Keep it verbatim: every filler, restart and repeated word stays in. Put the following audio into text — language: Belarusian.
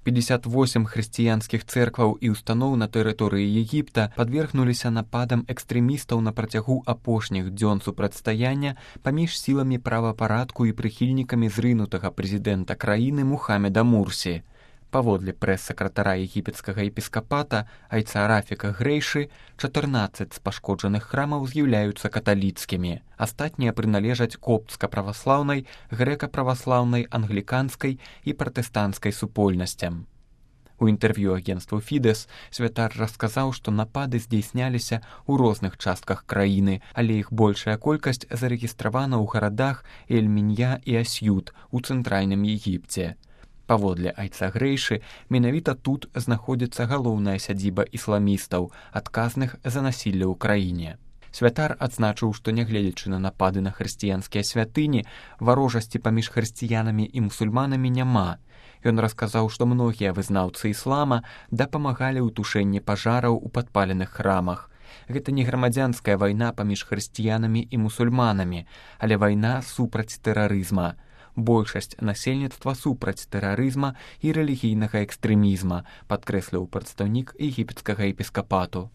пятьдесят восемь хрысціянскіх цэркваў і устаноў на тэрыторыі Егіпта падвергнуліся нападам экстрэмістаў на працягу апошніх дзён супрацьстаяння паміж сіламі правапарадку і прыхільнікамі зрынутага прэзідэнта краіны Мухаммеда Мурсі. Паводле прэс-сакратара егіпецкага епіскапата айца Рафіка Грэйшы, чатырнаццаць з пашкоджаных храмаў з'яўляюцца каталіцкімі. Астатнія прыналежаць коптска-праваслаўнай, грэка-праваслаўнай, англіканскай і пратэстанцкай супольнасцям. У інтэрв'ю агенству Фідэс святар расказаў, што напады здзейсняліся ў розных частках краіны, але іх большая колькасць зарэгістравана ў гарадах Эль-Мінья і Асьют у цэнтральным Егіпце. Паводле айца Грэйшы, менавіта тут знаходзіцца галоўная сядзіба ісламістаў, адказных за насілле ў краіне. Святар адзначыў, што нягледзячы на напады на хрысціянскія святыні, варожасці паміж хрысціянамі і мусульманамі няма. Ён расказаў, што многія вызнаўцы іслама дапамагалі ў тушэнні пажараў у падпаленых храмах. Гэта не грамадзянская вайна паміж хрысціянамі і мусульманамі, але вайна супраць тэрарызма. Большасць насельніцтва супраць тэрарызма і рэлігійнага экстрэмізма, падкрэсліў прадстаўнік егіпецкага епіскапату.